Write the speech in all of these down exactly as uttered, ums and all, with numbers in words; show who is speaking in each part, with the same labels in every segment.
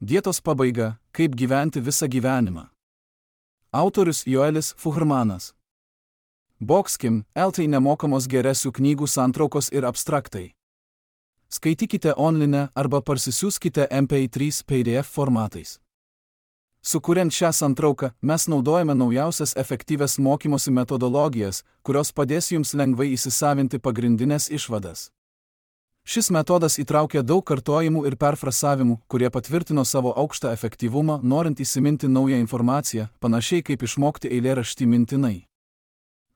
Speaker 1: Dietos pabaiga – kaip gyventi visą gyvenimą. Autorius Joelis Fuhrmanas. Boxkim, eltai nemokamos geresių knygų santraukos ir abstraktai. Skaitykite online arba parsisiųskite M P trys P D F formatais. Sukuriant šią santrauką, mes naudojame naujausias efektyvias mokymosi metodologijas, kurios padės jums lengvai įsisavinti pagrindinės išvadas. Šis metodas įtraukia daug kartojimų ir perfrasavimų, kurie patvirtino savo aukštą efektyvumą, norint įsiminti naują informaciją, panašiai kaip išmokti eilėraštį mintinai.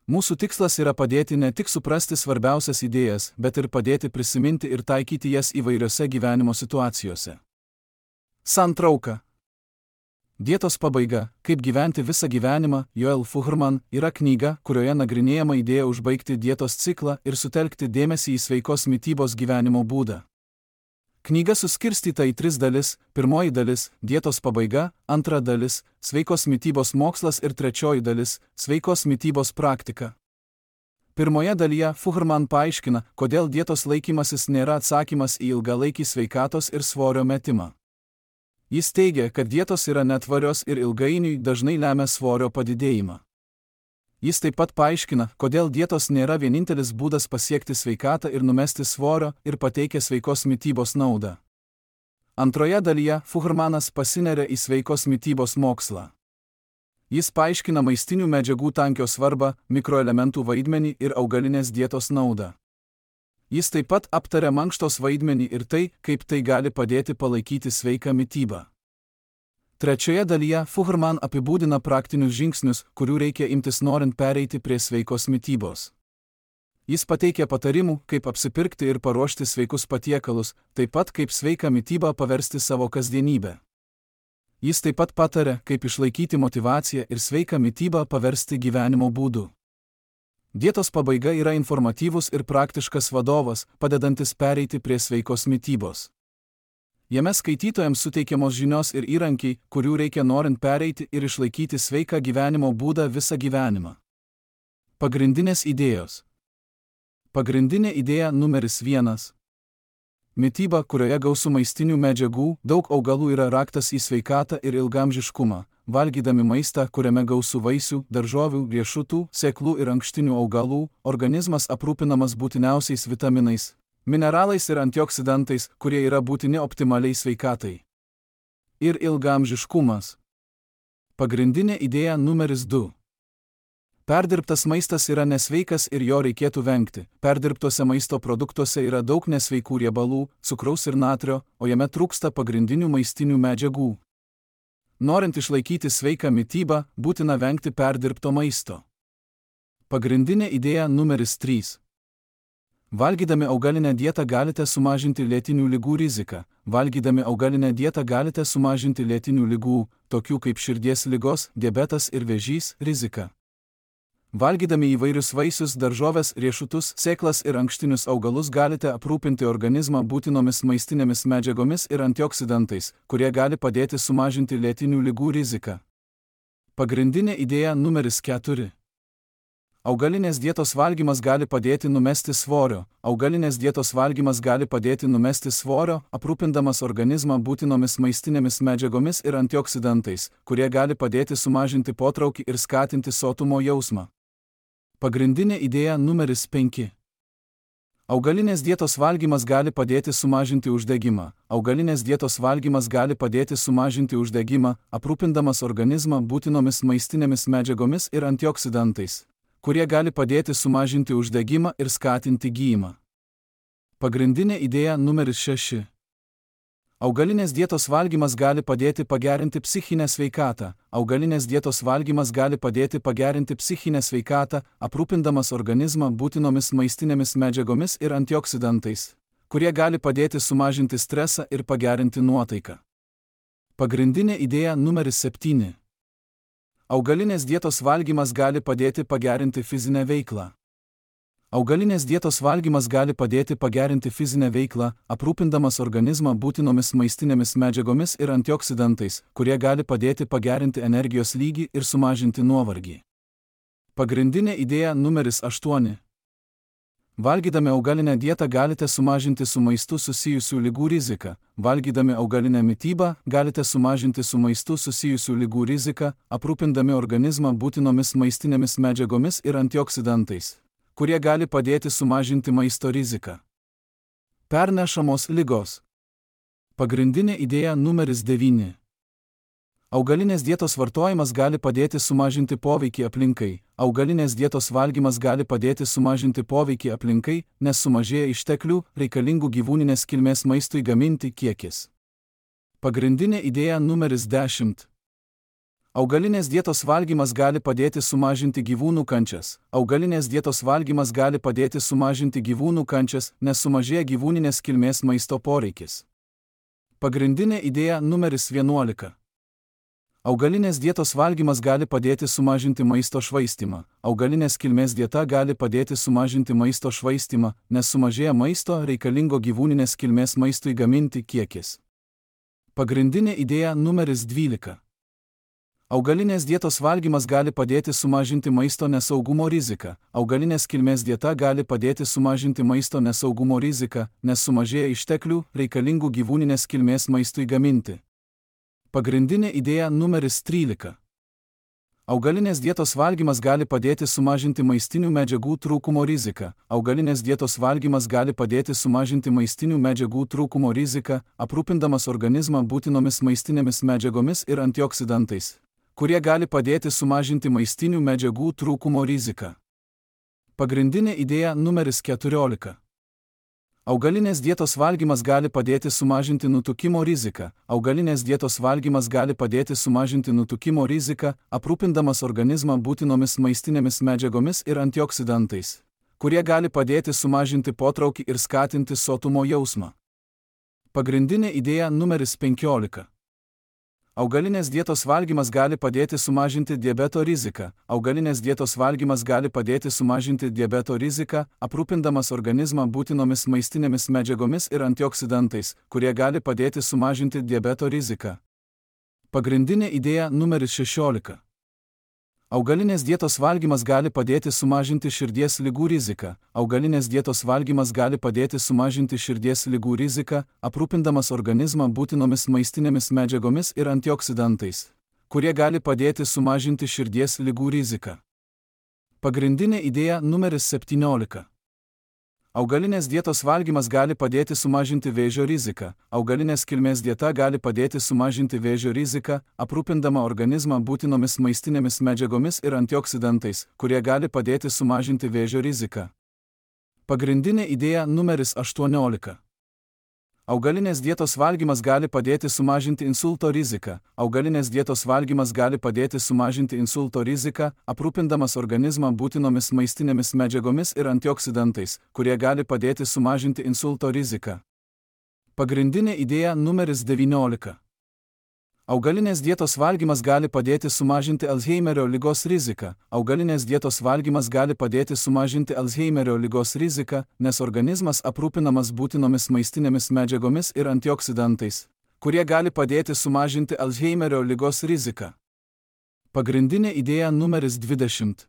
Speaker 1: Mūsų tikslas yra padėti ne tik suprasti svarbiausias idėjas, bet ir padėti prisiminti ir taikyti jas įvairiose gyvenimo situacijose. Santrauka. Dietos pabaiga – kaip gyventi visą gyvenimą, Joel Fuhrman, yra knyga, kurioje nagrinėjama idėja užbaigti dietos ciklą ir sutelkti dėmesį į sveikos mitybos gyvenimo būdą. Knyga suskirstyta į tris dalis: pirmoji dalis – dietos pabaiga, antra dalis – sveikos mitybos mokslas ir trečioji dalis – sveikos mitybos praktika. Pirmoje dalyje Fuhrman paaiškina, kodėl dietos laikymasis nėra atsakymas į ilgalaikį sveikatos ir svorio metimą. Jis teigia, kad dietos yra netvarios ir ilgainiui dažnai lemia svorio padidėjimą. Jis taip pat paaiškina, kodėl dietos nėra vienintelis būdas pasiekti sveikatą ir numesti svorio, ir pateikia sveikos mitybos naudą. Antroje dalyje Fuhrmanas pasineria į sveikos mitybos mokslą. Jis paaiškina maistinių medžiagų tankio svarbą, mikroelementų vaidmenį ir augalinės dietos naudą. Jis taip pat aptaria mankštos vaidmenį ir tai, kaip tai gali padėti palaikyti sveiką mitybą. Trečioje dalyje Fuhrman apibūdina praktinius žingsnius, kurių reikia imtis norint pereiti prie sveikos mitybos. Jis pateikia patarimų, kaip apsipirkti ir paruošti sveikus patiekalus, taip pat kaip sveiką mitybą paversti savo kasdienybę. Jis taip pat pataria, kaip išlaikyti motyvaciją ir sveiką mitybą paversti gyvenimo būdu. Dietos pabaiga yra informatyvus ir praktiškas vadovas, padedantis pereiti prie sveikos mitybos. Jame skaitytojams suteikiamos žinios ir įrankiai, kurių reikia norint pereiti ir išlaikyti sveiką gyvenimo būdą visą gyvenimą. Pagrindinės idėjos. Pagrindinė idėja numeris vienas. Mityba, kurioje gausu maistinių medžiagų, daug augalų yra raktas į sveikatą ir ilgaamžiškumą. Valgydami maistą, kuriame gausu vaisių, daržovių, riešutų, sėklų ir ankštinių augalų, organizmas aprūpinamas būtiniausiais vitaminais, mineralais ir antioksidantais, kurie yra būtini optimaliai sveikatai. Ir ilgaamžiškumas. Pagrindinė idėja numeris du. Perdirbtas maistas yra nesveikas ir jo reikėtų vengti. Perdirbtuose maisto produktuose yra daug nesveikų riebalų, cukraus ir natrio, o jame trūksta pagrindinių maistinių medžiagų. Norint išlaikyti sveiką mitybą, būtina vengti perdirbto maisto. Pagrindinė idėja numeris trys. Valgydami augalinę dietą galite sumažinti lėtinių ligų riziką. Valgydami augalinę dietą galite sumažinti lėtinių ligų, tokių kaip širdies ligos, diabetas ir vėžys, riziką. Valgydami įvairius vaisius, daržoves, riešutus, sėklas ir ankštinius augalus galite aprūpinti organizmą būtinomis maistinėmis medžiagomis ir antioksidantais, kurie gali padėti sumažinti lėtinių ligų riziką. Pagrindinė idėja numeris keturi. Augalinės dietos valgymas gali padėti numesti svorio. Augalinės dietos valgymas gali padėti numesti svorio, aprūpindamas organizmą būtinomis maistinėmis medžiagomis ir antioksidantais, kurie gali padėti sumažinti potraukį ir skatinti sotumo jausmą. Pagrindinė idėja numeris penki. Augalinės dietos valgymas gali padėti sumažinti uždegimą. Augalinės dietos valgymas gali padėti sumažinti uždegimą, aprūpindamas organizmą būtinomis maistinėmis medžiagomis ir antioksidantais, kurie gali padėti sumažinti uždegimą ir skatinti gijimą. Pagrindinė idėja numeris šeši. Augalinės dietos valgymas gali padėti pagerinti psichinę sveikatą. Augalinės dietos valgymas gali padėti pagerinti psichinę sveikatą, aprūpindamas organizmą būtinomis maistinėmis medžiagomis ir antioksidantais, kurie gali padėti sumažinti stresą ir pagerinti nuotaiką. Pagrindinė idėja numeris septyni. Augalinės dietos valgymas gali padėti pagerinti fizinę veiklą. Augalinės dietos valgymas gali padėti pagerinti fizinę veiklą, aprūpindamas organizmą būtinomis maistinėmis medžiagomis ir antioksidantais, kurie gali padėti pagerinti energijos lygį ir sumažinti nuovargį. Pagrindinė idėja numeris aštuoni. Valgydami augalinę dietą galite sumažinti su maistu susijusių ligų riziką. Valgydami augalinę mitybą galite sumažinti su maistu susijusių ligų riziką, aprūpindami organizmą būtinomis maistinėmis medžiagomis ir antioksidantais, kurie gali padėti sumažinti maisto riziką. Pernešamos ligos. Pagrindinė idėja numeris devyni. Augalinės dietos vartojimas gali padėti sumažinti poveikį aplinkai. Augalinės dietos valgymas gali padėti sumažinti poveikį aplinkai, nes sumažėja išteklių, reikalingų gyvūninės kilmės maistui gaminti kiekis. Pagrindinė idėja numeris dešimt. Augalinės dietos valgymas gali padėti sumažinti gyvūnų kančias. Augalinės dietos valgymas gali padėti sumažinti gyvūnų kančias, nes sumažėja gyvūninės kilmės maisto poreikis. Pagrindinė idėja numeris vienuolika. Augalinės dietos valgymas gali padėti sumažinti maisto švaistymą. Augalinės kilmės dieta gali padėti sumažinti maisto švaistymą, nes sumažėja maisto reikalingo gyvūninės kilmės maistui gaminti kiekis. Pagrindinė idėja numeris dvylika. Augalinės dietos valgymas gali padėti sumažinti maisto nesaugumo riziką. Augalinės kilmės dieta gali padėti sumažinti maisto nesaugumo riziką, nes sumažėja išteklių reikalingų gyvūninės kilmės maistui gaminti. Pagrindinė idėja numeris trylika. Augalinės dietos valgymas gali padėti sumažinti maistinių medžiagų trūkumo riziką. Augalinės dietos valgymas gali padėti sumažinti maistinių medžiagų trūkumo riziką, aprūpindamas organizmą būtinomis maistinėmis medžiagomis ir antioksidantais, kurie gali padėti sumažinti maistinių medžiagų trūkumo riziką. Pagrindinė idėja numeris keturiolika. Augalinės dietos valgymas gali padėti sumažinti nutukimo riziką. Augalinės dietos valgymas gali padėti sumažinti nutukimo riziką, aprūpindamas organizmą būtinomis maistinėmis medžiagomis ir antioksidantais, kurie gali padėti sumažinti potraukį ir skatinti sotumo jausmą. Pagrindinė idėja numeris penkiolika. Augalinės dietos valgymas gali padėti sumažinti diabeto riziką. Augalinės dietos valgymas gali padėti sumažinti diabeto riziką, aprūpindamas organizmą būtinomis maistinėmis medžiagomis ir antioksidantais, kurie gali padėti sumažinti diabeto riziką. Pagrindinė idėja numeris šešiolika. Augalinės dietos valgymas gali padėti sumažinti širdies ligų riziką. Augalinės dietos valgymas gali padėti sumažinti širdies ligų riziką, aprūpindamas organizmą būtinomis maistinėmis medžiagomis ir antioksidantais, kurie gali padėti sumažinti širdies ligų riziką. Pagrindinė idėja numeris septyniolika. Augalinės dietos valgymas gali padėti sumažinti vėžio riziką. Augalinės kilmės dieta gali padėti sumažinti vėžio riziką, aprūpindama organizmą būtinomis maistinėmis medžiagomis ir antioksidantais, kurie gali padėti sumažinti vėžio riziką. Pagrindinė idėja numeris aštuoniolika. Augalinės dietos valgymas gali padėti sumažinti insulto riziką. Augalinės dietos valgymas gali padėti sumažinti insulto riziką, aprūpindamas organizmą būtinomis maistinėmis medžiagomis ir antioksidantais, kurie gali padėti sumažinti insulto riziką. Pagrindinė idėja numeris devyniolika. Augalinės dietos valgymas gali padėti sumažinti Alzheimerio ligos riziką. Augalinės dietos valgymas gali padėti sumažinti Alzheimerio ligos riziką, nes organizmas aprūpinamas būtinomis maistinėmis medžiagomis ir antioksidantais, kurie gali padėti sumažinti Alzheimerio ligos riziką. Pagrindinė idėja numeris dvidešimt.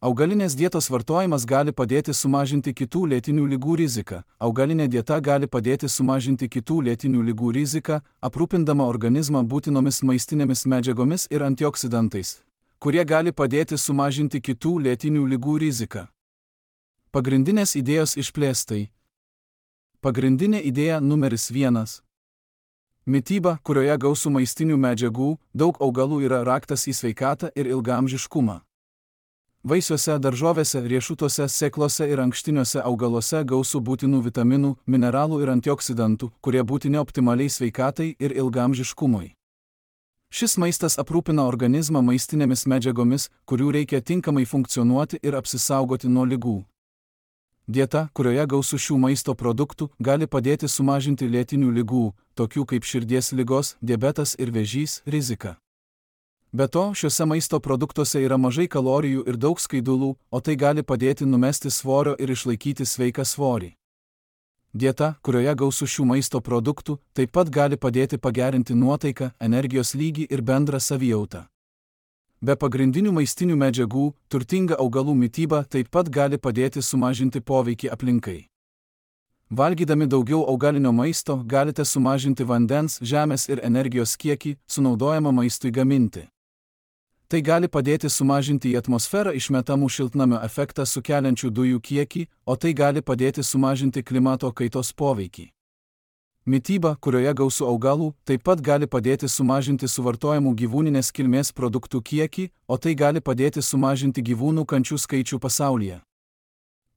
Speaker 1: Augalinės dietos vartojimas gali padėti sumažinti kitų lėtinių ligų riziką. Augalinė dieta gali padėti sumažinti kitų lėtinių ligų riziką, aprūpindama organizmą būtinomis maistinėmis medžiagomis ir antioksidantais, kurie gali padėti sumažinti kitų lėtinių ligų riziką. Pagrindinės idėjos išplėstai. Pagrindinė idėja numeris vienas. Mityba, kurioje gausu maistinių medžiagų, daug augalų yra raktas į sveikatą ir ilgaamžiškumą. Vaisiuose, daržovėse, riešutuose, sėklose ir ankštiniuose augaluose gausu būtinų vitaminų, mineralų ir antioksidantų, kurie būtini optimaliai sveikatai ir ilgaamžiškumui. Šis maistas aprūpina organizmą maistinėmis medžiagomis, kurių reikia tinkamai funkcionuoti ir apsisaugoti nuo ligų. Dieta, kurioje gausu šių maisto produktų, gali padėti sumažinti lėtinių ligų, tokių kaip širdies ligos, diabetas ir vėžys, riziką. Be to, šiuose maisto produktuose yra mažai kalorijų ir daug skaidulų, o tai gali padėti numesti svorio ir išlaikyti sveiką svorį. Dieta, kurioje gausu šių maisto produktų, taip pat gali padėti pagerinti nuotaiką, energijos lygį ir bendrą savijautą. Be pagrindinių maistinių medžiagų, turtinga augalų mityba taip pat gali padėti sumažinti poveikį aplinkai. Valgydami daugiau augalinio maisto galite sumažinti vandens, žemės ir energijos kiekį, sunaudojamą maistui gaminti. Tai gali padėti sumažinti į atmosferą išmetamų šiltnamio efektą sukeliančių dujų kiekį, o tai gali padėti sumažinti klimato kaitos poveikį. Mityba, kurioje gausu augalų, taip pat gali padėti sumažinti suvartojamų gyvūninės kilmės produktų kiekį, o tai gali padėti sumažinti gyvūnų kančių skaičių pasaulyje.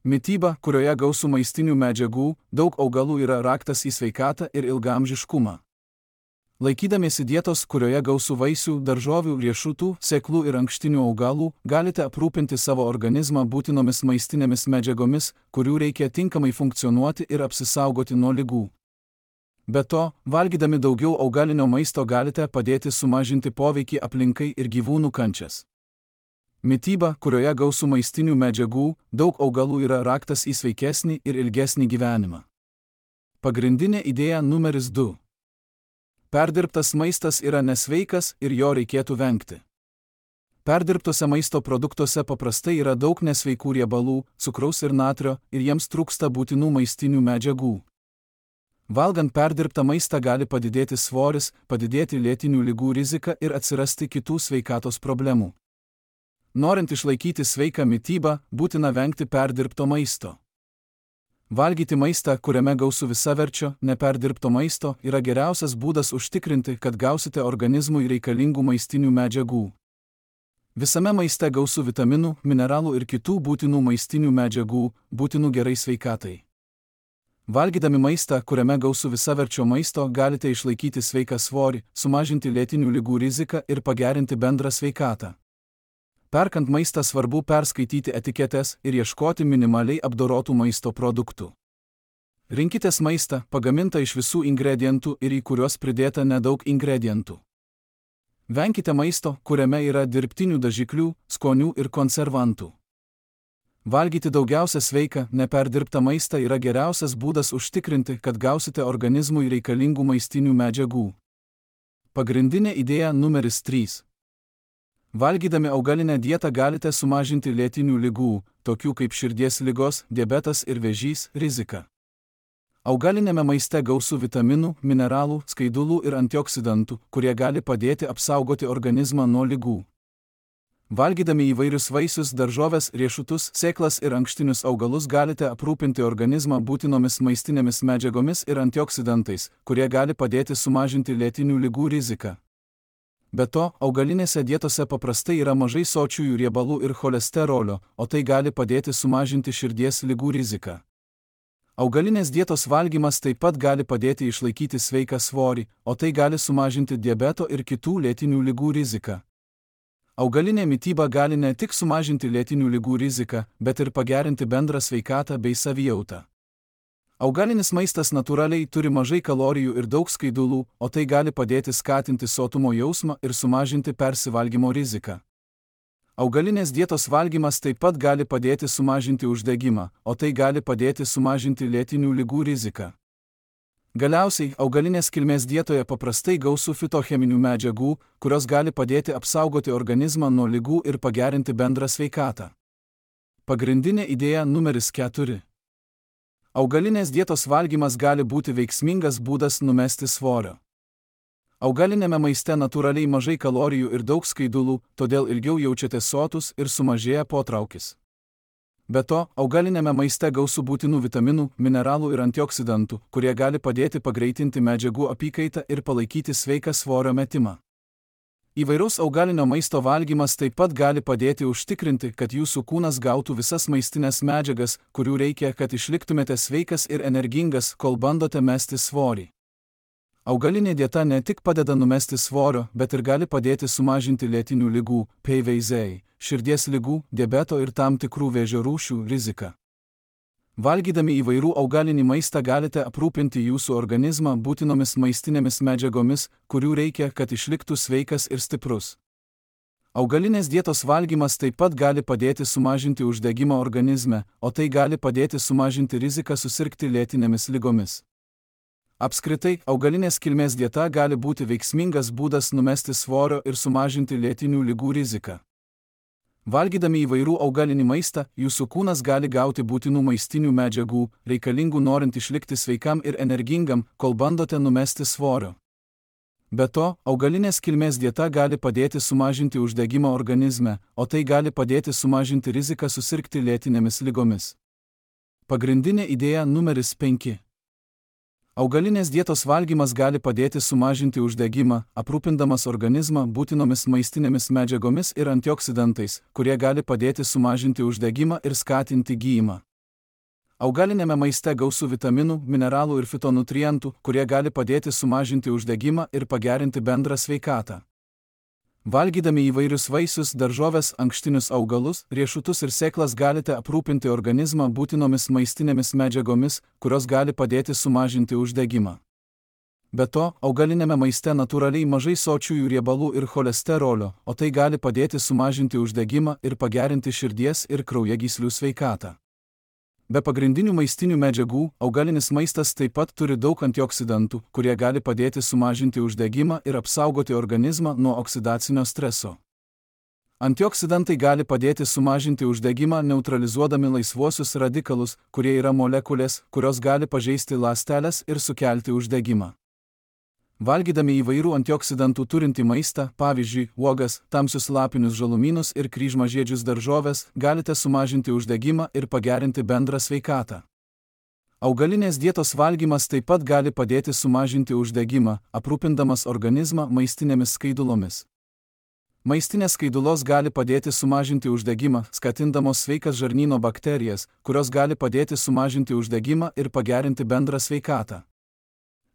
Speaker 1: Mityba, kurioje gausu maistinių medžiagų, daug augalų yra raktas į sveikatą ir ilgaamžiškumą. Laikydamiesi dietos, kurioje gausu vaisių, daržovių, riešutų, sėklų ir ankštinių augalų, galite aprūpinti savo organizmą būtinomis maistinėmis medžiagomis, kurių reikia tinkamai funkcionuoti ir apsisaugoti nuo ligų. Be to, valgydami daugiau augalinio maisto galite padėti sumažinti poveikį aplinkai ir gyvūnų kančias. Mityba, kurioje gausu maistinių medžiagų, daug augalų yra raktas į sveikesnį ir ilgesnį gyvenimą. Pagrindinė idėja numeris du. Perdirbtas maistas yra nesveikas ir jo reikėtų vengti. Perdirbtose maisto produktuose paprastai yra daug nesveikų riebalų, cukraus ir natrio, ir jiems trūksta būtinų maistinių medžiagų. Valgant perdirbtą maistą gali padidėti svoris, padidėti lėtinių ligų rizika ir atsirasti kitų sveikatos problemų. Norint išlaikyti sveiką mitybą, būtina vengti perdirbto maisto. Valgyti maistą, kuriame gausu visaverčio, neperdirbto maisto, yra geriausias būdas užtikrinti, kad gausite organizmui reikalingų maistinių medžiagų. Visame maiste gausu vitaminų, mineralų ir kitų būtinų maistinių medžiagų, būtinų gerai sveikatai. Valgydami maistą, kuriame gausu visaverčio maisto, galite išlaikyti sveiką svorį, sumažinti lėtinių ligų riziką ir pagerinti bendrą sveikatą. Perkant maistą svarbu perskaityti etiketes ir ieškoti minimaliai apdorotų maisto produktų. Rinkitės maistą, pagamintą iš visų ingredientų ir į kuriuos pridėta nedaug ingredientų. Venkite maisto, kuriame yra dirbtinių dažiklių, skonių ir konservantų. Valgyti daugiausia sveiką, neperdirbtą maistą yra geriausias būdas užtikrinti, kad gausite organizmui reikalingų maistinių medžiagų. Pagrindinė idėja numeris trys. Valgydami augalinę dietą galite sumažinti lėtinių ligų, tokių kaip širdies ligos, diabetas ir vėžys, riziką. Augalinėme maiste gausu vitaminų, mineralų, skaidulų ir antioksidantų, kurie gali padėti apsaugoti organizmą nuo ligų. Valgydami įvairius vaisius, daržoves, riešutus, sėklas ir ankštinius augalus galite aprūpinti organizmą būtinomis maistinėmis medžiagomis ir antioksidantais, kurie gali padėti sumažinti lėtinių ligų riziką. Be to, augalinėse dietose paprastai yra mažai sočiųjų riebalų ir cholesterolio, o tai gali padėti sumažinti širdies ligų riziką. Augalinės dietos valgymas taip pat gali padėti išlaikyti sveiką svorį, o tai gali sumažinti diabeto ir kitų lėtinių ligų riziką. Augalinė mityba gali ne tik sumažinti lėtinių ligų riziką, bet ir pagerinti bendrą sveikatą bei savijautą. Augalinis maistas natūraliai turi mažai kalorijų ir daug skaidulų, o tai gali padėti skatinti sotumo jausmą ir sumažinti persivalgymo riziką. Augalinės dietos valgymas taip pat gali padėti sumažinti uždegimą, o tai gali padėti sumažinti lėtinių ligų riziką. Galiausiai, augalinės kilmės dietoje paprastai gausu fitocheminių medžiagų, kurios gali padėti apsaugoti organizmą nuo ligų ir pagerinti bendrą sveikatą. Pagrindinė idėja numeris keturi. Augalinės dietos valgymas gali būti veiksmingas būdas numesti svorio. Augalinėme maiste natūraliai mažai kalorijų ir daug skaidulų, todėl ilgiau jaučiatės sotus ir sumažėja potraukis. Be to, augalinėme maiste gausu būtinų vitaminų, mineralų ir antioksidantų, kurie gali padėti pagreitinti medžiagų apykaitą ir palaikyti sveiką svorio metimą. Įvairaus augalinio maisto valgymas taip pat gali padėti užtikrinti, kad jūsų kūnas gautų visas maistinės medžiagas, kurių reikia, kad išliktumėte sveikas ir energingas, kol bandote mesti svorį. Augalinė dieta ne tik padeda numesti svorio, bet ir gali padėti sumažinti lėtinių ligų, P V Z, širdies ligų, diabeto ir tam tikrų vėžio rūšių riziką. Valgydami įvairių augalinį maistą galite aprūpinti jūsų organizmą būtinomis maistinėmis medžiagomis, kurių reikia, kad išliktų sveikas ir stiprus. Augalinės dietos valgymas taip pat gali padėti sumažinti uždegimą organizme, o tai gali padėti sumažinti riziką susirgti lėtinėmis ligomis. Apskritai, augalinės kilmės dieta gali būti veiksmingas būdas numesti svorio ir sumažinti lėtinių ligų riziką. Valgydami įvairių augalinį maistą, jūsų kūnas gali gauti būtinų maistinių medžiagų, reikalingų norint išlikti sveikam ir energingam, kol bandote numesti svorio. Be to, augalinės kilmės dieta gali padėti sumažinti uždegimą organizme, o tai gali padėti sumažinti riziką susirgti lėtinėmis ligomis. Pagrindinė idėja numeris penki. Augalinės dietos valgymas gali padėti sumažinti uždegimą, aprūpindamas organizmą būtinomis maistinėmis medžiagomis ir antioksidantais, kurie gali padėti sumažinti uždegimą ir skatinti gijimą. Augalinėme maiste gausu vitaminų, mineralų ir fitonutrientų, kurie gali padėti sumažinti uždegimą ir pagerinti bendrą sveikatą. Valgydami įvairius vaisius, daržoves, ankštinius augalus, riešutus ir sėklas galite aprūpinti organizmą būtinomis maistinėmis medžiagomis, kurios gali padėti sumažinti uždegimą. Be to, augalinėme maiste natūraliai mažai sočiųjų riebalų ir cholesterolio, o tai gali padėti sumažinti uždegimą ir pagerinti širdies ir kraujagyslių sveikatą. Be pagrindinių maistinių medžiagų, augalinis maistas taip pat turi daug antioksidantų, kurie gali padėti sumažinti uždegimą ir apsaugoti organizmą nuo oksidacinio streso. Antioksidantai gali padėti sumažinti uždegimą neutralizuodami laisvuosius radikalus, kurie yra molekulės, kurios gali pažeisti ląsteles ir sukelti uždegimą. Valgydami įvairių antioksidantų turintį maistą, pavyzdžiui, uogas, tamsius lapinius žalumynus ir kryžmažiedžius daržoves, galite sumažinti uždegimą ir pagerinti bendrą sveikatą. Augalinės dietos valgymas taip pat gali padėti sumažinti uždegimą, aprūpindamas organizmą maistinėmis skaidulomis. Maistinės skaidulos gali padėti sumažinti uždegimą, skatindamos sveikas žarnyno bakterijas, kurios gali padėti sumažinti uždegimą ir pagerinti bendrą sveikatą.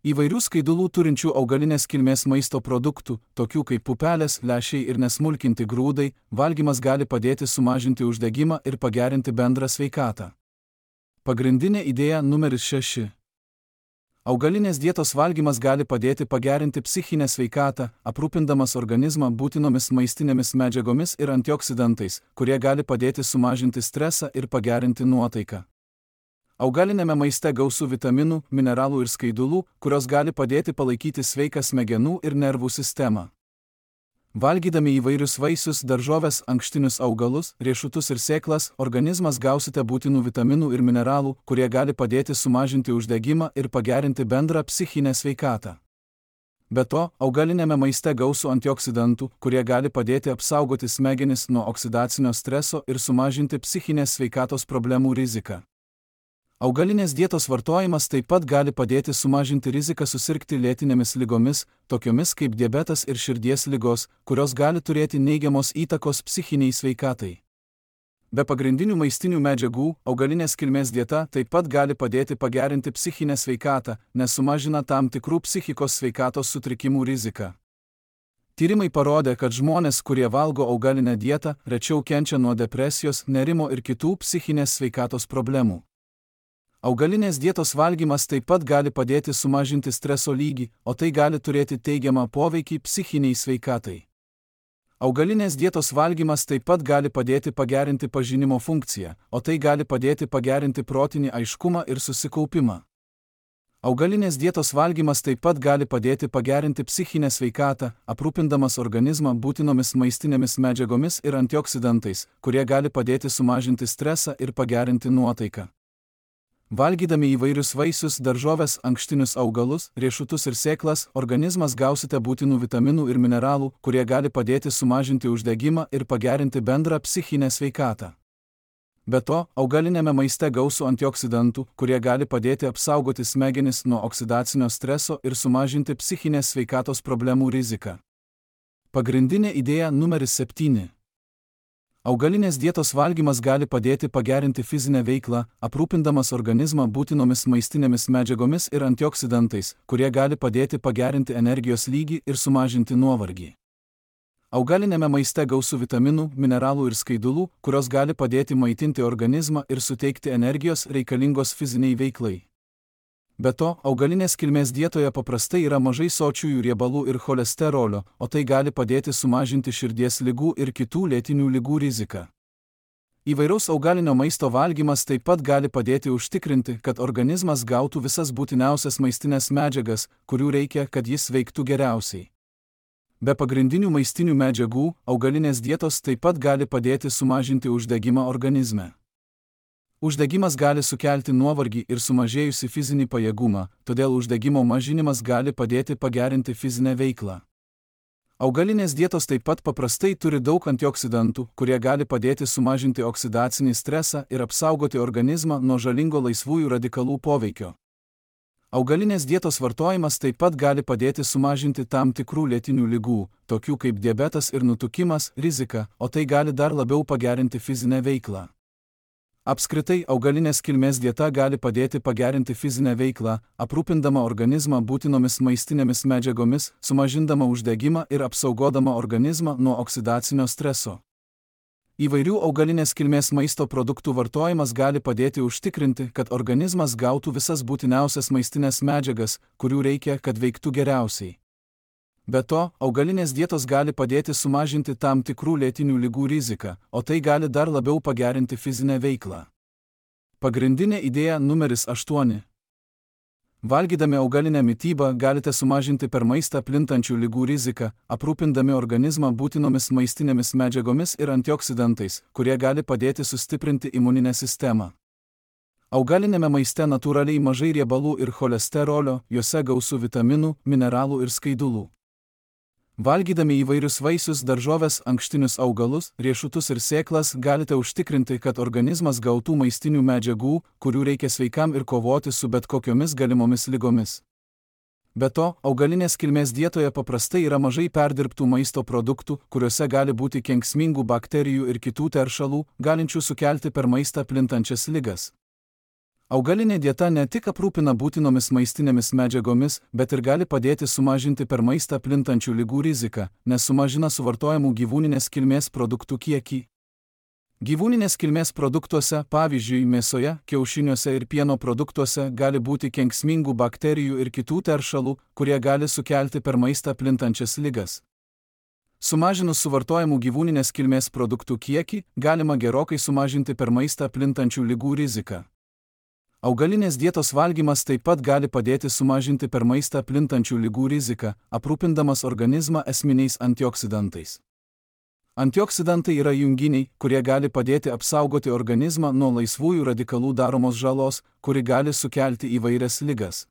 Speaker 1: Įvairių skaidulų turinčių augalinės kilmės maisto produktų, tokių kaip pupelės, lęšiai ir nesmulkinti grūdai, valgymas gali padėti sumažinti uždegimą ir pagerinti bendrą sveikatą. Pagrindinė idėja numeris šeši. Augalinės dietos valgymas gali padėti pagerinti psichinę sveikatą, aprūpindamas organizmą būtinomis maistinėmis medžiagomis ir antioksidantais, kurie gali padėti sumažinti stresą ir pagerinti nuotaiką. Augalinėme maiste gausu vitaminų, mineralų ir skaidulų, kurios gali padėti palaikyti sveiką smegenų ir nervų sistemą. Valgydami įvairius vaisius, daržoves, ankštinius augalus, riešutus ir sėklas, organizmas gausite būtinų vitaminų ir mineralų, kurie gali padėti sumažinti uždegimą ir pagerinti bendrą psichinę sveikatą. Be to, augalinėme maiste gausu antioksidantų, kurie gali padėti apsaugoti smegenis nuo oksidacinio streso ir sumažinti psichinės sveikatos problemų riziką. Augalinės dietos vartojimas taip pat gali padėti sumažinti riziką susirgti lėtinėmis ligomis, tokiomis kaip diabetas ir širdies ligos, kurios gali turėti neigiamos įtakos psichiniai sveikatai. Be pagrindinių maistinių medžiagų, augalinės kilmės dieta taip pat gali padėti pagerinti psichinę sveikatą, nes sumažina tam tikrų psichikos sveikatos sutrikimų riziką. Tyrimai parodė, kad žmonės, kurie valgo augalinę dietą, rečiau kenčia nuo depresijos, nerimo ir kitų psichinės sveikatos problemų. Augalinės dietos valgymas taip pat gali padėti sumažinti streso lygį, o tai gali turėti teigiamą poveikį psichiniai sveikatai. Augalinės dietos valgymas taip pat gali padėti pagerinti pažinimo funkciją, o tai gali padėti pagerinti protinį aiškumą ir susikaupimą. Augalinės dietos valgymas taip pat gali padėti pagerinti psichinę sveikatą, aprūpindamas organizmą būtinomis maistinėmis medžiagomis ir antioksidantais, kurie gali padėti sumažinti stresą ir pagerinti nuotaiką. Valgydami įvairius vaisius, daržoves, ankštinius augalus, riešutus ir sėklas, organizmas gausite būtinų vitaminų ir mineralų, kurie gali padėti sumažinti uždegimą ir pagerinti bendrą psichinę sveikatą. Be to, augalinėme maiste gausu antioksidantų, kurie gali padėti apsaugoti smegenis nuo oksidacinio streso ir sumažinti psichinės sveikatos problemų riziką. Pagrindinė idėja numeris septyni. Augalinės dietos valgymas gali padėti pagerinti fizinę veiklą, aprūpindamas organizmą būtinomis maistinėmis medžiagomis ir antioksidantais, kurie gali padėti pagerinti energijos lygį ir sumažinti nuovargį. Augalinėme maiste gausu vitaminų, mineralų ir skaidulų, kurios gali padėti maitinti organizmą ir suteikti energijos reikalingos fiziniai veiklai. Be to, augalinės kilmės dietoje paprastai yra mažai sočiųjų riebalų ir cholesterolio, o tai gali padėti sumažinti širdies ligų ir kitų lėtinių ligų riziką. Įvairaus augalinio maisto valgymas taip pat gali padėti užtikrinti, kad organizmas gautų visas būtiniausias maistinės medžiagas, kurių reikia, kad jis veiktų geriausiai. Be pagrindinių maistinių medžiagų, augalinės dietos taip pat gali padėti sumažinti uždegimą organizme. Uždegimas gali sukelti nuovargį ir sumažėjusi fizinį pajėgumą, todėl uždegimo mažinimas gali padėti pagerinti fizinę veiklą. Augalinės dietos taip pat paprastai turi daug antioksidantų, kurie gali padėti sumažinti oksidacinį stresą ir apsaugoti organizmą nuo žalingo laisvųjų radikalų poveikio. Augalinės dietos vartojimas taip pat gali padėti sumažinti tam tikrų lėtinių ligų, tokių kaip diabetas ir nutukimas, riziką, o tai gali dar labiau pagerinti fizinę veiklą. Apskritai, augalinės kilmės dieta gali padėti pagerinti fizinę veiklą, aprūpindama organizmą būtinomis maistinėmis medžiagomis, sumažindama uždegimą ir apsaugodama organizmą nuo oksidacinio streso. Įvairių augalinės kilmės maisto produktų vartojimas gali padėti užtikrinti, kad organizmas gautų visas būtiniausias maistinės medžiagas, kurių reikia, kad veiktų geriausiai. Be to, augalinės dietos gali padėti sumažinti tam tikrų lėtinių ligų riziką, o tai gali dar labiau pagerinti fizinę veiklą. Pagrindinė idėja numeris aštuoni. Valgydami augalinę mitybą galite sumažinti per maistą plintančių ligų riziką, aprūpindami organizmą būtinomis maistinėmis medžiagomis ir antioksidantais, kurie gali padėti sustiprinti imuninę sistemą. Augalinėme maiste natūraliai mažai riebalų ir cholesterolio, juose gausu vitaminų, mineralų ir skaidulų. Valgydami įvairius vaisius, daržoves, ankštinius augalus, riešutus ir sėklas galite užtikrinti, kad organizmas gautų maistinių medžiagų, kurių reikia sveikam ir kovoti su bet kokiomis galimomis ligomis. Be to, augalinės kilmės dietoje paprastai yra mažai perdirbtų maisto produktų, kuriuose gali būti kenksmingų bakterijų ir kitų teršalų, galinčių sukelti per maistą plintančias ligas. Augalinė dieta ne tik aprūpina būtinomis maistinėmis medžiagomis, bet ir gali padėti sumažinti per maistą plintančių ligų riziką, nes sumažina suvartojamų gyvūninės kilmės produktų kiekį. Gyvūninės kilmės produktuose, pavyzdžiui, mėsoje, kiaušiniuose ir pieno produktuose gali būti kenksmingų bakterijų ir kitų teršalų, kurie gali sukelti per maistą plintančias ligas. Sumažinus suvartojamų gyvūninės kilmės produktų kiekį, galima gerokai sumažinti per maistą plintančių ligų riziką. Augalinės dietos valgymas taip pat gali padėti sumažinti per maistą plintančių ligų riziką, aprūpindamas organizmą esminiais antioksidantais. Antioksidantai yra junginiai, kurie gali padėti apsaugoti organizmą nuo laisvųjų radikalų daromos žalos, kuri gali sukelti įvairias ligas.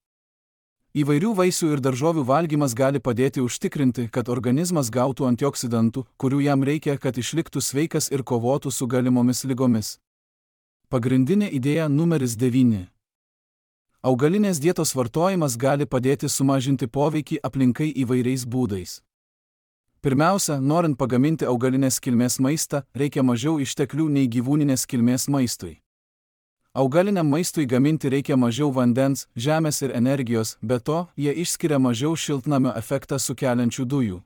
Speaker 1: Įvairių vaisių ir daržovių valgymas gali padėti užtikrinti, kad organizmas gautų antioksidantų, kurių jam reikia, kad išliktų sveikas ir kovotų su galimomis ligomis. Pagrindinė idėja numeris devyni. Augalinės dietos vartojimas gali padėti sumažinti poveikį aplinkai įvairiais būdais. Pirmiausia, norint pagaminti augalinės kilmės maistą, reikia mažiau išteklių nei gyvūninės kilmės maistui. Augaliniam maistui gaminti reikia mažiau vandens, žemės ir energijos, be to, jie išskiria mažiau šiltnamio efektą sukeliančių dujų.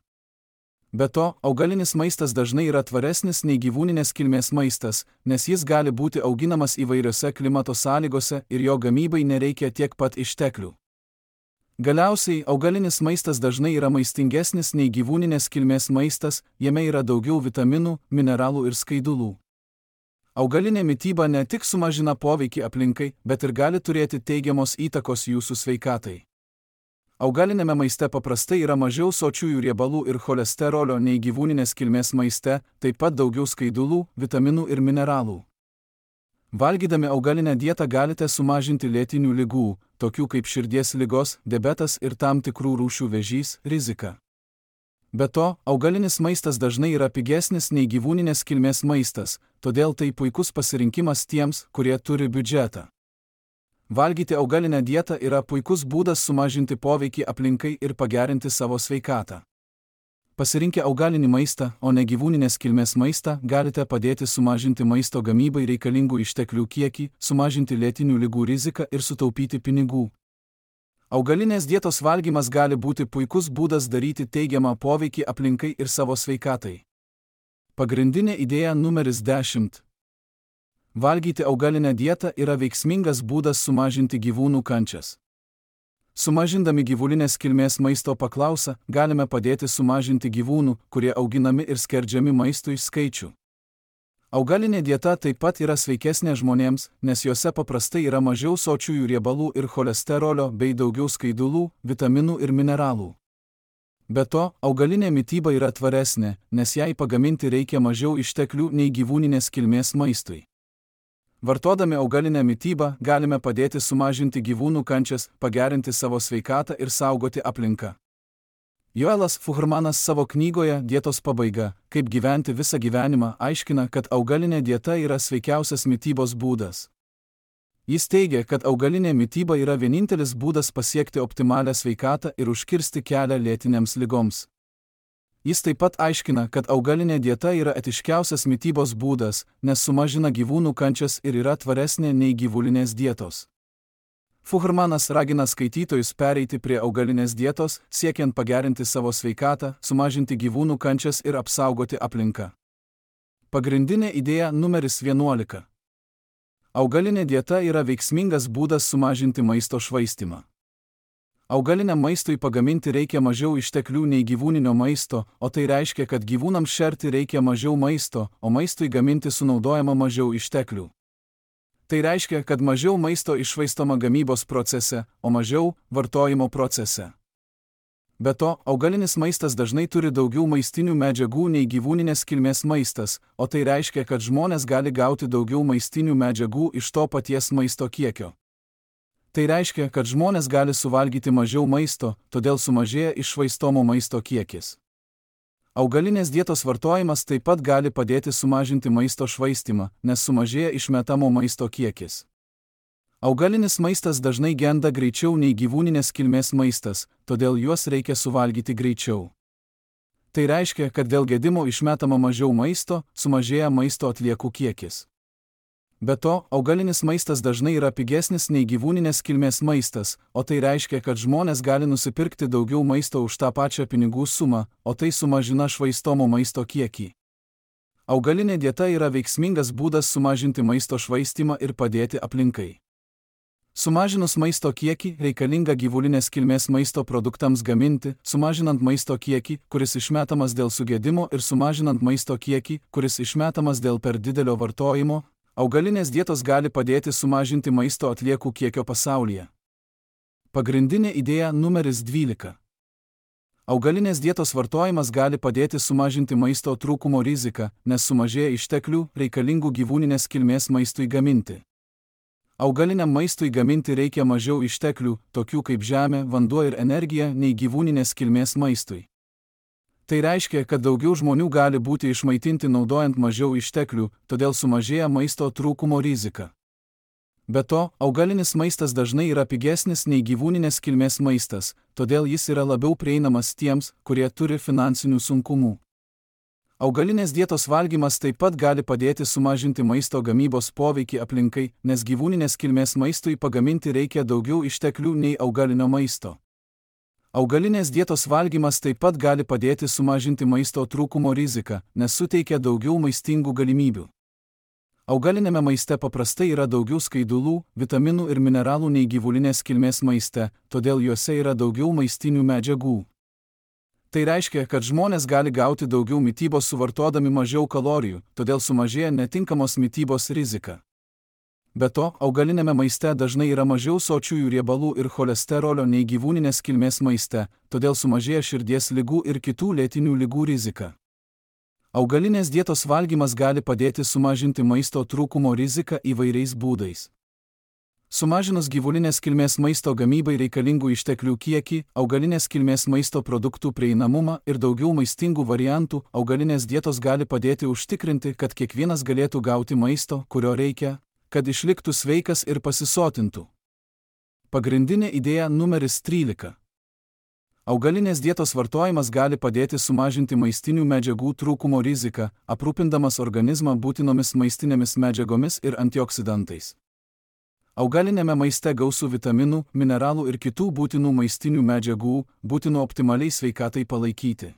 Speaker 1: Be to, augalinis maistas dažnai yra tvaresnis nei gyvūninės kilmės maistas, nes jis gali būti auginamas įvairiose klimato sąlygose ir jo gamybai nereikia tiek pat išteklių. Galiausiai, augalinis maistas dažnai yra maistingesnis nei gyvūninės kilmės maistas, jame yra daugiau vitaminų, mineralų ir skaidulų. Augalinė mityba ne tik sumažina poveikį aplinkai, bet ir gali turėti teigiamos įtakos jūsų sveikatai. Augalinėme maiste paprastai yra mažiau sočiųjų riebalų ir cholesterolio nei gyvūninės kilmės maiste, taip pat daugiau skaidulų, vitaminų ir mineralų. Valgydami augalinę dietą galite sumažinti lėtinių ligų, tokių kaip širdies ligos, diabetas ir tam tikrų rūšių vėžys, riziką. Be to, augalinis maistas dažnai yra pigesnis nei gyvūninės kilmės maistas, todėl tai puikus pasirinkimas tiems, kurie turi biudžetą. Valgyti augalinę dietą yra puikus būdas sumažinti poveikį aplinkai ir pagerinti savo sveikatą. Pasirinkę augalinį maistą, o ne gyvūninės kilmės maistą, galite padėti sumažinti maisto gamybai reikalingų išteklių kiekį, sumažinti lėtinių ligų riziką ir sutaupyti pinigų. Augalinės dietos valgymas gali būti puikus būdas daryti teigiamą poveikį aplinkai ir savo sveikatai. Pagrindinė idėja numeris dešimt. Valgyti augalinę dietą yra veiksmingas būdas sumažinti gyvūnų kančias. Sumažindami gyvulinės kilmės maisto paklausą, galime padėti sumažinti gyvūnų, kurie auginami ir skerdžiami maistui, skaičių. Augalinė dieta taip pat yra sveikesnė žmonėms, nes juose paprastai yra mažiau sočiųjų riebalų ir cholesterolio bei daugiau skaidulų, vitaminų ir mineralų. Be to, augalinė mityba yra tvaresnė, nes jai pagaminti reikia mažiau išteklių nei gyvūninės kilmės maistui. Vartodami augalinę mitybą galime padėti sumažinti gyvūnų kančias, pagerinti savo sveikatą ir saugoti aplinką. Joelas Fuhrmanas savo knygoje Dietos pabaiga, kaip gyventi visą gyvenimą, aiškina, kad augalinė dieta yra sveikiausias mitybos būdas. Jis teigia, kad augalinė mityba yra vienintelis būdas pasiekti optimalią sveikatą ir užkirsti kelią lėtinėms ligoms. Jis taip pat aiškina, kad augalinė dieta yra etiškiausias mitybos būdas, nes sumažina gyvūnų kančias ir yra tvaresnė nei gyvulinės dietos. Fuhrmanas ragina skaitytojus pereiti prie augalinės dietos, siekiant pagerinti savo sveikatą, sumažinti gyvūnų kančias ir apsaugoti aplinką. Pagrindinė idėja numeris vienuolika. Augalinė dieta yra veiksmingas būdas sumažinti maisto švaistymą. Augaliniam maistui pagaminti reikia mažiau išteklių nei gyvūninio maisto, o tai reiškia, kad gyvūnams šerti reikia mažiau maisto, o maistui gaminti sunaudojama mažiau išteklių. Tai reiškia, kad mažiau maisto iššvaistoma gamybos procese, o mažiau vartojimo procese. Be to, augalinis maistas dažnai turi daugiau maistinių medžiagų nei gyvūninės kilmės maistas, o tai reiškia, kad žmonės gali gauti daugiau maistinių medžiagų iš to paties maisto kiekio. Tai reiškia, kad žmonės gali suvalgyti mažiau maisto, todėl sumažėja iššvaistomo maisto kiekis. Augalinės dietos vartojimas taip pat gali padėti sumažinti maisto švaistymą, nes sumažėja išmetamo maisto kiekis. Augalinis maistas dažnai genda greičiau nei gyvūninės kilmės maistas, todėl juos reikia suvalgyti greičiau. Tai reiškia, kad dėl gedimo išmetama mažiau maisto, sumažėja maisto atliekų kiekis. Be to, augalinis maistas dažnai yra pigesnis nei gyvūninės kilmės maistas, o tai reiškia, kad žmonės gali nusipirkti daugiau maisto už tą pačią pinigų sumą, o tai sumažina švaistomo maisto kiekį. Augalinė dieta yra veiksmingas būdas sumažinti maisto švaistymą ir padėti aplinkai. Sumažinus maisto kiekį, reikalinga gyvulinės kilmės maisto produktams gaminti, sumažinant maisto kiekį, kuris išmetamas dėl sugedimo ir sumažinant maisto kiekį, kuris išmetamas dėl per didelio vartojimo, augalinės dietos gali padėti sumažinti maisto atliekų kiekio pasaulyje. Pagrindinė idėja numeris dvylika. Augalinės dietos vartojimas gali padėti sumažinti maisto trūkumo riziką, nes sumažėja išteklių, reikalingų gyvūninės kilmės maistui gaminti. Augaliniam maistui gaminti reikia mažiau išteklių, tokių kaip žemė, vanduo ir energija, nei gyvūninės kilmės maistui. Tai reiškia, kad daugiau žmonių gali būti išmaitinti naudojant mažiau išteklių, todėl sumažėja maisto trūkumo rizika. Be to, augalinis maistas dažnai yra pigesnis nei gyvūninės kilmės maistas, todėl jis yra labiau prieinamas tiems, kurie turi finansinių sunkumų. Augalinės dietos valgymas taip pat gali padėti sumažinti maisto gamybos poveikį aplinkai, nes gyvūninės kilmės maistui pagaminti reikia daugiau išteklių nei augalinio maisto. Augalinės dietos valgymas taip pat gali padėti sumažinti maisto trūkumo riziką, nes suteikia daugiau maistingų galimybių. Augalinėme maiste paprastai yra daugiau skaidulų, vitaminų ir mineralų nei gyvulinės kilmės maiste, todėl juose yra daugiau maistinių medžiagų. Tai reiškia, kad žmonės gali gauti daugiau mitybos suvartodami mažiau kalorijų, todėl sumažėja netinkamos mitybos rizika. Be to, augalinėme maiste dažnai yra mažiau sočiųjų riebalų ir cholesterolio nei gyvūninės kilmės maiste, todėl sumažėja širdies ligų ir kitų lėtinių ligų rizika. Augalinės dietos valgymas gali padėti sumažinti maisto trūkumo riziką įvairiais būdais. Sumažinus gyvulinės kilmės maisto gamybai reikalingų išteklių kiekį, augalinės kilmės maisto produktų prieinamumą ir daugiau maistingų variantų, augalinės dietos gali padėti užtikrinti, kad kiekvienas galėtų gauti maisto, kurio reikia, kad išliktų sveikas ir pasisotintų. Pagrindinė idėja numeris trylika. Augalinės dietos vartojimas gali padėti sumažinti maistinių medžiagų trūkumo riziką, aprūpindamas organizmą būtinomis maistinėmis medžiagomis ir antioksidantais. Augalinėme maiste gausu vitaminų, mineralų ir kitų būtinų maistinių medžiagų, būtinų optimaliai sveikatai palaikyti.